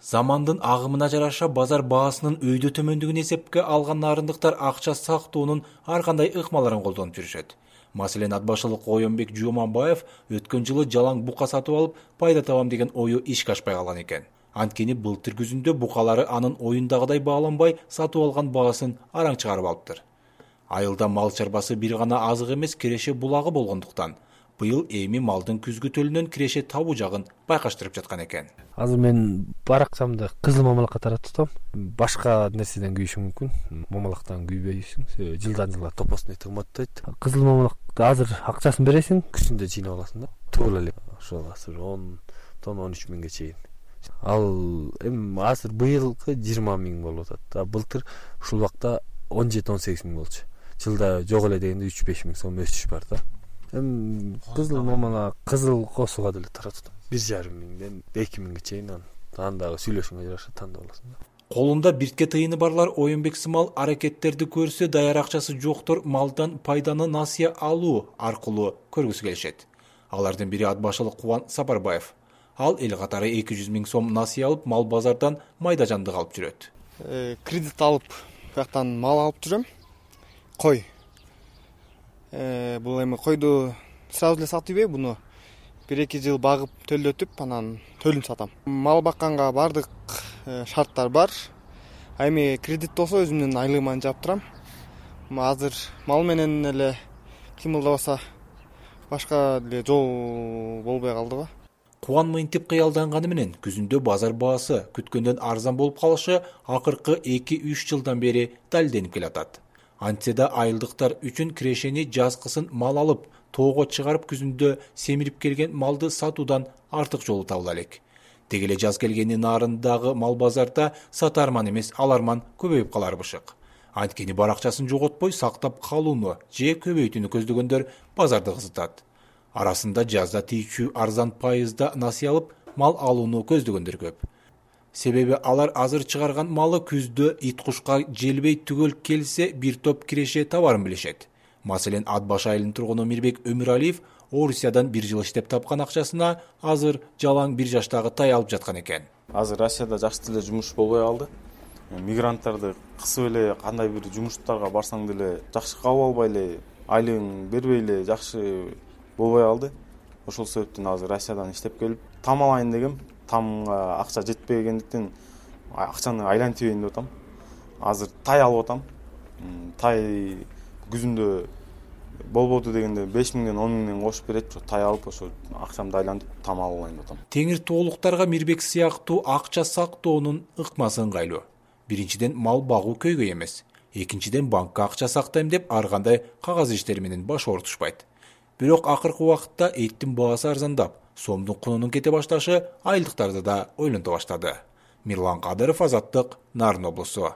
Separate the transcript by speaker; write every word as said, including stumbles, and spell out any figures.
Speaker 1: Замандын агымына жараша базар баасынын өйдө төмөндүгүн эсепке алган нарындыктар акча сактоонун ар кандай ыкмаларын колдонуп жүрүшөт. Маселен, ат башылык Оюнбек Жуманбаев өткөн жылы жалаң бука сатып алып, пайда табам деген ою ишке ашпай калган экен. Анткени былтыр күзүндө букалары анын оюндагыдай бааланбай, сатып алган баасын араң чыгарып алыптыр. Айылда мал чарбасы бир гана азык эмес, киреше булагы болгондуктан быйыл эми малдын күзгү төлүнөн киреше табуу жагын байкаштырып жаткан экен.
Speaker 2: Азыр мен баракчамды кызыл мамалакка таратып атам. Башка нерседен күйүшү мүмкүн. Мамалактан күйбөйсүң. Жылдан жылга топосуна кымбаттайт. Кызыл мамалакты азыр акчасын бересиң, күзүндө жыйнап аласың да. Туура эле ошол азыр он тонна он үч миңге чейин. Ал эми азыр быйылкы жыйырма миң болуп атат. А былтыр ушул убакта он жети он сегиз миң болчу. Жылда жок эле дегенде үч беш миң сом өсүш бар да. Эми кызыл мамалак, кызыл косуга деле таратып бир жарым миңден эки миңге чейин анан дагы сүйлөшүүгө жараша тандап аласың да.
Speaker 1: Колунда биртке тыйыны барлар Оюнбек сымал аракеттерди көрсө, даяр акчасы жоктор малдан пайданы насыя алуу аркылуу көргүсү келишет. Алардын бири ат башылык Кубан Сапарбаев. Ал эл катары эки жүз миң сом насыя алып, мал базардан майда жандык алып жүрөт.
Speaker 3: Кредит алып, бияктан мал алып жүрөм. Кой. Э, бул эми койду сразу эле сатпайбы, буну бир эки жыл багып төлөтүп, анан төлүн сатам. Мал бакканга бардык шарттар бар. А эми кредит болсо өзүмдүн айлыгыман жаап турам. Азыр мал менен эле кыймылдабаса башка эле жол болбой калдыбы.
Speaker 1: Кубан мынтип кыялданганы менен күзүндө базар баасы күткөндөн арзан болуп калышы акыркы эки үч жылдан бери далилденип келатат. Антсе да айылдыктар үчүн кирешени жазкысын мал алып, тоого чыгарып күзүндө семирип келген малды сатуудан артык жолу табыла элек. Деги эле жаз келгени нарындагы мал базарда сатарман эмес, аларман көбөйүп калар бышык. Анткени баракчасын жоготпой сактап калууну же көбөйтүүнү көздөгөндөр базарды кызытат. Арасында жазда тийчү арзан пайызда насыя алып, мал алууну көздөгөндөр көп. Себеби алар азыр чыгарган малы күздө ит кушка желбей түгөл келсе бир топ киреше табарын билишет. Маселен, ат баш айылынын тургуну Мирбек Өмүралиев Орусиядан бир жыл иштеп тапкан акчасына азыр жалаң бир жаштагы тай алып жаткан экен.
Speaker 4: Азыр Россияда жакшы деле жумуш болбой калды. Мигранттарды кысып эле кандай бир жумуштарга барсаң деле жакшы кабыл албай эле, айлыгын бербей эле жакшы болбой калды. Ошол себептен азыр Россиядан иштеп келип там алайын дегем. Тамга акча жетпегендиктен акчаны айлантыбайын деп атам. Азыр тай алып атам. Тай күзүндө болбоду дегенде беш миңден он миңден кошуп берет. Тай алып ошо акчамды айлантып там алайын деп атам.
Speaker 1: Теңир тоолуктарга Мирбек сыяктуу акча сактоонун ыкмасы ыңгайлуу. Биринчиден, мал багуу көйгөй эмес. Экинчиден, банкка акча сактайм деп ар кандай кагаз иштери менен баш оорутушпайт. Бирок акыркы убакытта эттин баасы арзандап, сомдун кунунун кете башташы айылдыктарды да ойлонто баштады. Мирлан Кадыров, Азаттык, Нарын облусу.